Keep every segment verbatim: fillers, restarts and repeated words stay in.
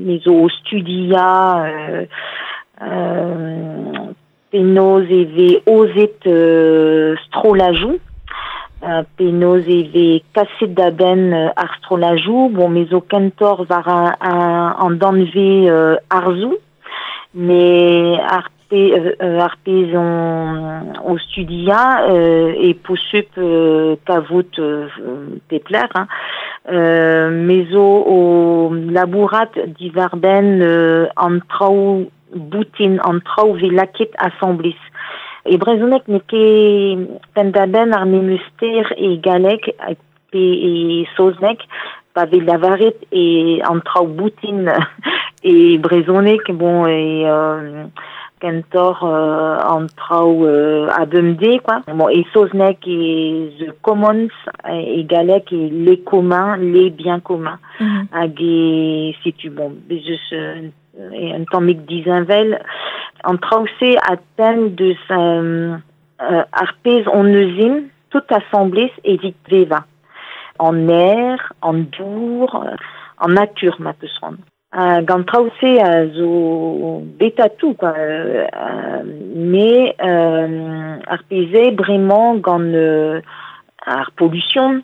Me zo o studia euh, euh, penaos e vez aozet euh, strollajoù, euh, penaos e vez kaset da benn euh, ar strollajoù, bon, me zo kentoc'h war an, an, an danvez euh, arzoù, mais ar pe, euh, ar pezh on, o studia euh, e posupl euh, kavout euh, pep lec'h, hein. Euh, me zo o labourat diwar-benn euh, an traoù boutin, an traoù vez lakaet asambles. E brezhoneg n'eo ket penn-da-benn ar memes ster e galleg pe e saozneg, pa vez lavaret e an traoù boutin e brezhoneg, bon, e euh, kentoc'h euh, an traoù euh, a bemdez, quoi. Bon, e saozneg e the commons, e galleg e les communs, les biens communs. Mm -hmm. Hag e setu, bon, bez eus euh, un tammig disheñvel. An traoù-se a denn deus euh, euh, ar pezh hon eus ezhomm tout asambles evit bevañ. An aer, an dour, an natur ma peus c'hoant. Uh, gant traoù-se a zo bet atou, quoi. Euh, mais euh, ar pezh eo bremañ gant euh, ar pollution,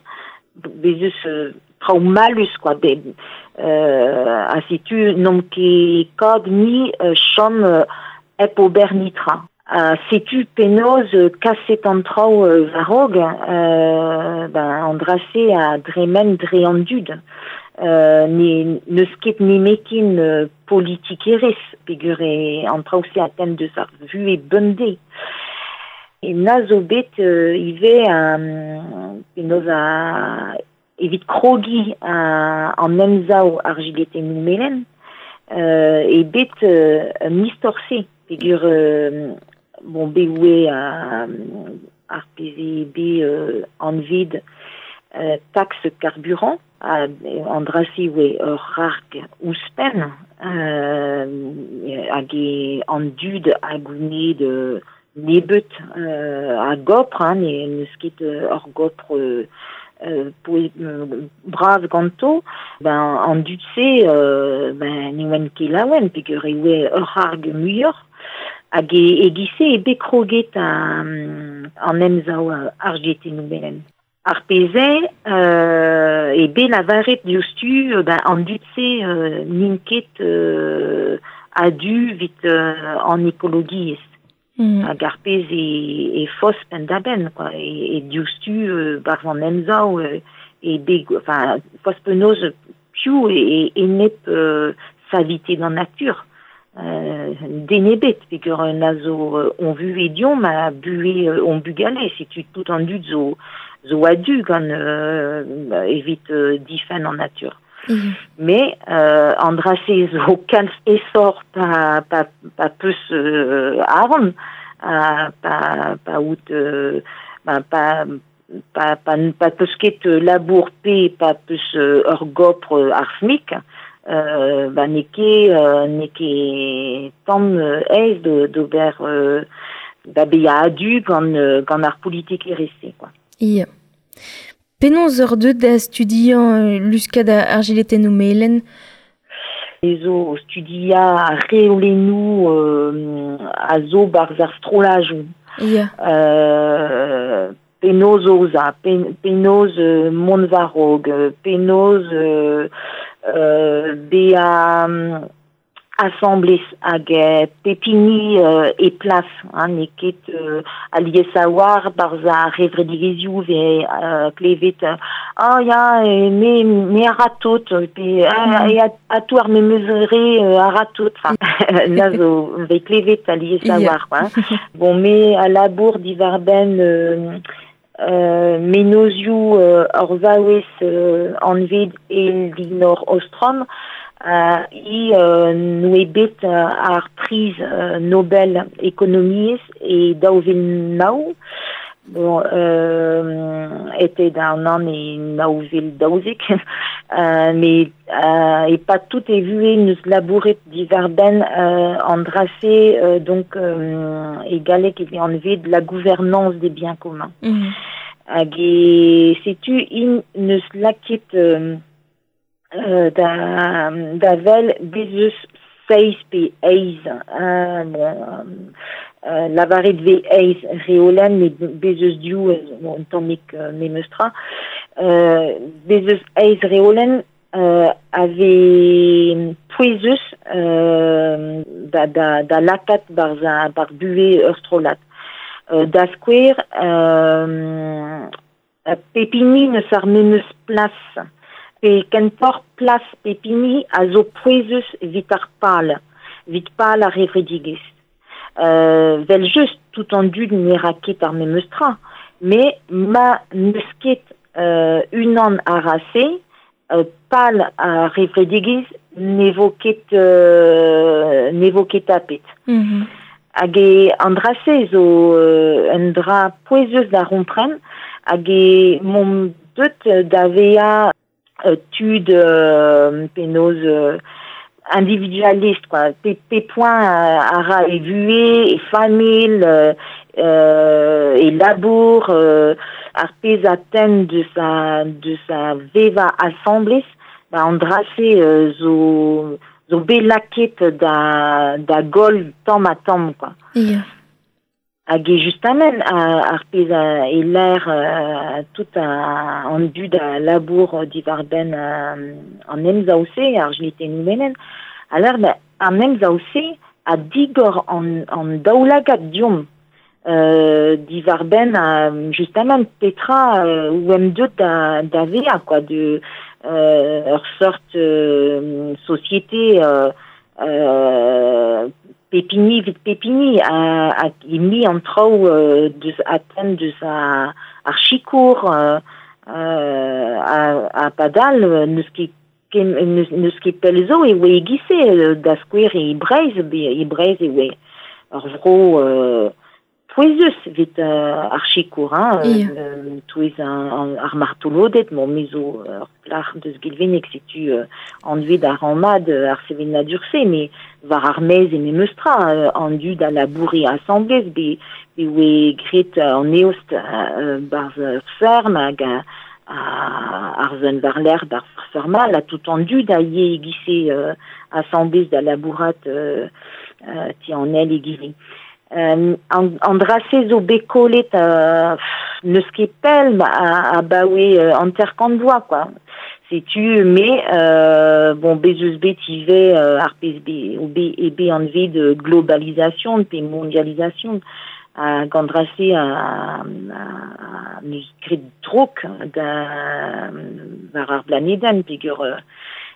bez eus euh, traoù mallus, quoi. Be, euh, ha setu n'omp ket kat mui euh, chom euh, hep ober netra. Uh, setu penaos euh, kaset an traoù euh, war-raok, euh, ben, an dra-se a dremen dre an dud. Euh, ne n'eus ket nemetkin euh, politikerezh peogwir e an traoù-se a denn deus ar vuhez bemdez. E na zo bet euh, ivez um, penaos a evit krogiñ a, an emsav ar jiletennoù melen, euh, e bet euh, un istor-se peogwir euh, bon, bet oe a, ar pezh eo bet euh, anvet euh, taxe carburant, a, an dra-se oe ur c'harg ouzhpenn euh, hag e an dud a gounid euh, nebeut euh, a gopr, hein, ne n'eus ket euh, ur gopr euh, euh, poe, euh, bras ganto, ben, an dud-se euh, ben, ne oant ket laouen, peogwir e oe ur c'harg muioc'h, hag e, e giz-se e bet kroget an, an emsav ar jiletennoù melen. Ar pezh eo euh, e bet lavaret diouzhtu, ben, an dud-se euh, n'int ket euh, a-du evit euh, an ekologiezh. Mm. Hag ar pezh e, e faos penn-da-benn, quoi. E, e diouzhtu euh, barzh an emsav euh, e bet, enfin, faos penaos piv e, e enep euh, savite d'an natur. Euh, den ebet, peogwir na zo euh, hon vuhez deomp ha buhez euh, hon bugale, setu tout an dud zo, zo a-du gant euh, evit euh, difenn an natur. Mm. Mais euh, an dra-se zo kalz aesoc'h pa, pa, pa peus euh, arc'hant, ha pa, pa out euh, ben, pa, pa, pa, pa peus ket labour pe pa peus euh, ur gopr euh, ar SMIC, euh, ba n'eo ket, euh, n'eo ket tamm euh, aes de, d'ober euh, da bezañ a-du gant, euh, gant ar politikerezh-se, quoi. Ya. Penaos oc'h deuet da studiañ euh, luskad ar jiletennoù melen? Me zo o studiañ ar reolennoù euh, a zo barzh ar strollajoù. Ya. Euh, penaos aozañ, pen, penaos euh, mont war-raok, penaos euh, euh, bezañ asambles hag euh, pep hini euh, e plas, hein, n'eo ket euh, alies a-walc'h barzh ar c'hevredigezhioù vez euh, klevet euh, ah ya, e, me, me a ra tout, pe ah, e a, a tout ar memes re euh, a ra tout, enfin, na zo vez klevet alies Ya. a-walc'h, quoi, hein. Bon, me a labour diwar-benn euh, euh, menozioù euh, ur vaouez euh, anvet Elinor Ostrom, euh, hi euh, noe bet euh, ar priz euh, Nobel ekonomiezh e daou vil nav. Bon, euh, était d'un an e nav vil daouzek, euh, mais euh, e pa tout e vuhez neus labouret diwar-benn euh, an dra-se euh, donc euh, e galleg e vez anvet la gouvernance des biens communs. Mm. Hag e setu int neus lakaet euh, euh, da, da vel bezeus seiz pe eiz, euh, bon, euh, lavaret ve eiz reolen, met bezeus diou, bon, un tammik euh, memeustra, euh, bezeus eiz reolen euh, ave pouezeus euh, da, da, da lakat bar, za, bar bue ur strollad. Euh, da skouer, euh, pepini neus ar memeus plas, pe kentor plas pepini a zo pouezeus vit ar pal, vit pal ar evredigez. Euh, vel just tout an dud ne ra ket ar memeus tra, mais ma neus ket euh, unan a rase, euh, pal ar evredigez ne vo ket, euh, ne vo ket tapet. Mm-hmm. Hag e an drase zo euh, un dra pouezeus da rompren, hag e mont deut da vea euh, tud euh, penaos euh, individualiste quoi, pe, pe point a, a ra e vue, e famil, euh, euh, e labour, euh, ar pez a tenn de sa, de sa veva assemblez, ba an drase euh, zo, zo bet laket da, da gol tamm ha tamm, quoi. Yeah. Hag e justamen ar pez a e l'air euh, tout a, an dud a labour divarben euh, an emzaouse, ar jliten menen, aler ba, an emzaouse a digor an, an daoulagad diom euh, divarben a, justement petra euh, ou em deut da, da vea, quoi, de euh, ur sort euh, société euh, euh, pepini vit pepini a, a mi an traoù euh, deus aten deus a, ar chikour euh, euh, a, a padal neus ket kem, neus, neus ket pell zo e oe egise euh, da skouer e Breizh, be, e Breizh e oe ur vro euh, pouezeus vit euh, ar chikour, hein, Yeah. euh, touez an, an, ar martolodet, bon, me zo ur plac'h deus Gilvenek, setu euh, anvet ar anmad ar sevenadur-se, mais war ar mez e memeustra, euh, an dud a laboure assemblez, be, be oe gret an eost euh, barz ur ferm hag a, a, ar zon war l'air bar fermal, a tout an dud a ye egise euh, assemblez da labourat euh, euh, ti an el egile. Euh, an, an drase zo bet kollet euh, neus ket pell a, a baoe euh, hanter kant vloaz, quoi. Setu, mais euh, bon, bez eus bet ivez euh, ar pez be, o be, e be anvet de globalisation, pe mondialisation, hag an drase a, a, a neus gret drok da, war ar blanedenn, peogwir euh,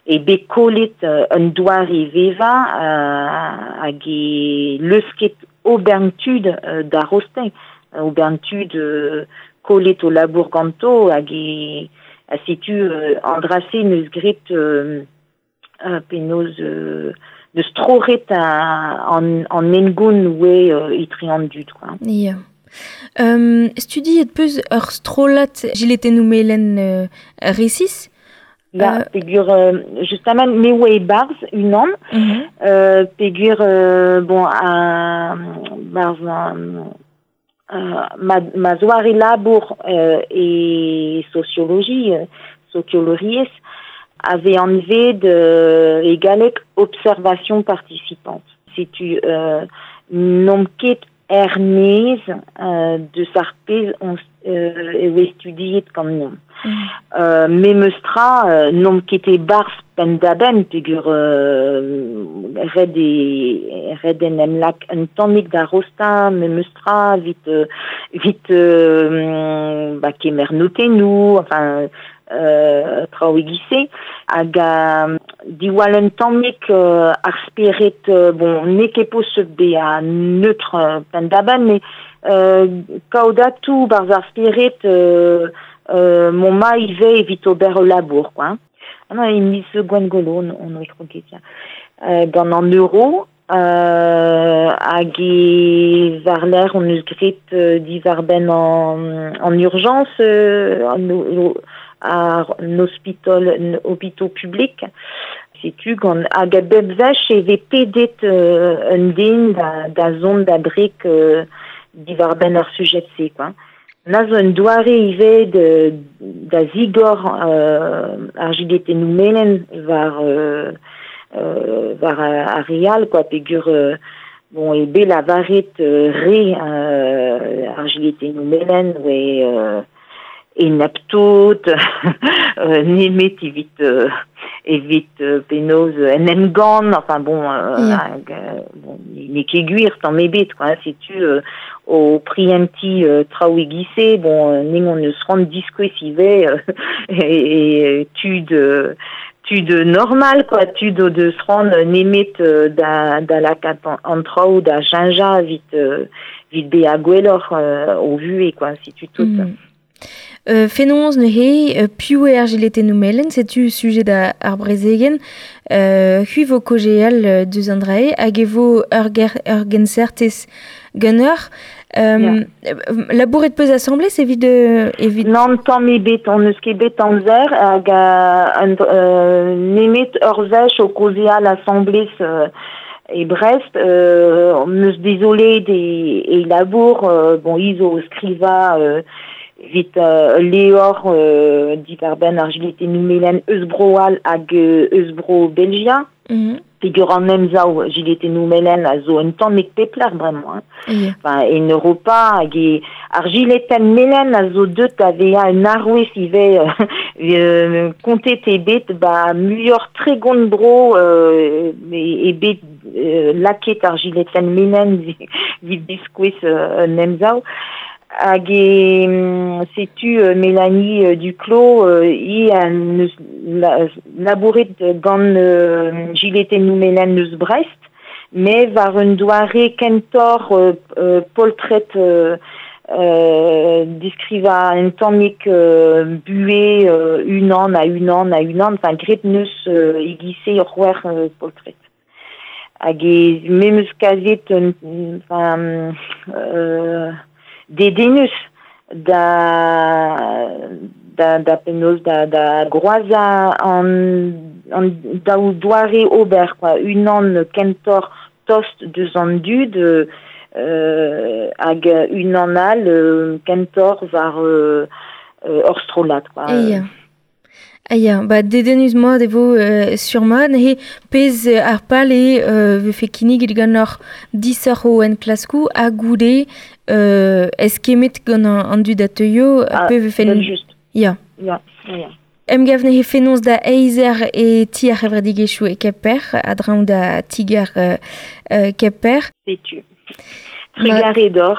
e bet kollet euh, un doare veva euh, hag e leusket obern tud euh, da rosteñ, obern tud euh, kollet o labour ganto hag e a setu euh, an drase neus gret euh, euh, penaos euh, neus troret a, an, an engoun oe euh, etre an dud, quoi. Yeah. Um, studiet peus ur strollad jiletennoù melen euh, resis? Ya, Euh, peogwir euh, justement me oa e barz unan, mm-hmm. euh, peogwir euh, bon a barz an, euh, ma, ma zoare labour euh, e sociologie, euh, sociologiezh, avait anvet euh, e galleg observation participante. Setu euh, n'omp ket er-maez euh, deus ar pezh on euh, e oe studiet gant nomp. Mm. Euh, memeustra euh, n'omp ket e-barzh penn-da-benn peogwir euh, ret e ret en em lak un tammig da rostañ memeustra vit euh, vit euh, ba kemer notennoù, enfin euh, traoù e-giz-se, hag a diwall un tammig euh, ar spered, euh, bon, n'eo ket posupl bezañ neutre euh, penn-da-benn, mais euh, kaout atou barzh ar spered euh, euh, mont ma ivez evit ober ul labour, quoi. Ah non, e miz Gwengolo, on, on oe kroget, ya. Euh, gant an euro, euh, hag e war-lerc'h on eus gret euh, diwar-benn an, an urgence, euh, an, o, ar an hospital, an hôpitaux public. Setu gant hag a bep wech e vez pedet euh, un den da, da zont da brek euh, diwar-benn ar sujet-se, quoi. Na zo un doare ivez de, da zigor euh, ar jiletennoù melen war, euh, euh, war ar real, quoi, pegur euh, bon, e bet lavaret euh, re euh, ar jiletennoù melen oe euh, e neptot, euh, nemet evit, euh, evit euh, penaos en emgann, enfin bon, euh, Yeah. hag, euh, bon, n'eo ket gwir tamm ebet, quoi, hein, setu euh, o prientiñ euh, traoù e-giz-se, bon, euh, ning on eus c'hoant diskouez ivez euh, e, e tud euh, tud normal, quoi, tud o deus c'hoant nemet euh, da, da lakaat an, an traoù da cheñchañ evit, euh, evit bezañ gwelloc'h euh, o vuhez, quoi, setu tout. Mm. Euh, fenoz neuze, euh, piv eo ar jiletennoù melen, setu sujet da ar brezegenn, euh, c'hwi vo kaozeal euh, deus an dra-se, hag e vo ur ger, ur gensertez ganeoc'h. Euh, Yeah. Labouret peus asambles evit, euh, evit... Nann tamm ebet, on eus ket bet amzer hag euh, un, euh, nemet ur wech o kaozeal asambles euh, e Brest, euh, on eus dezolet e, e labour, euh, bon, hi zo o skrivañ euh, evit euh, levr euh, diwar-benn ar jiletennoù melen eus Bro-C'hall hag euh, eus Bro Belgia. Mm -hmm. Pegur an emsav jiletennoù melen a zo un tammig pep lec'h bremañ. Hein. Yeah. Enfin, en Europa hag e ar jiletenn melen a zo deut da vezañ un arouez ivez euh, euh, kontet eo bet ba muioc'h tregont bro euh, e, e bet euh, lakaet ar jiletenn melen evit diskouez euh, un emsav. Hag e setu euh, Mélanie euh, Duclos euh, hi a neus la, labouret gant euh, jiletennoù melen eus Brest, met war un doare kentoc'h euh, euh, poltred euh, euh, deskrivañ un tammig euh, buhez euh, unan ha unan ha unan, enfin graet neus euh, e-giz-se ur c'hwec'h euh, poltred. Hag e me 'm eus kavet un, enfin, euh, dedennus da da da penaos da da groazañ an an daou doare ober quoi unan kentoc'h tost deus an dud euh, hag unan all euh, kentoc'h war euh, euh, ur strollad quoi. Ya. Ah ya, ba dedennus mat e vo euh, sur-mat, neuze pezh ar pal eo euh, vefe kinniget ganeoc'h disoc'h ho enklaskoù ha goude euh, eskemmet gant an, an dud a teuio Ah, pe vefe... just. Ya. Ya, ya. Emgav neuze fenoz da eizh eur e ti ar c'hevredigezhioù e Kemper, a-dreñv da ti-gar euh, euh, Kemper. Setu. Trugarez deoc'h.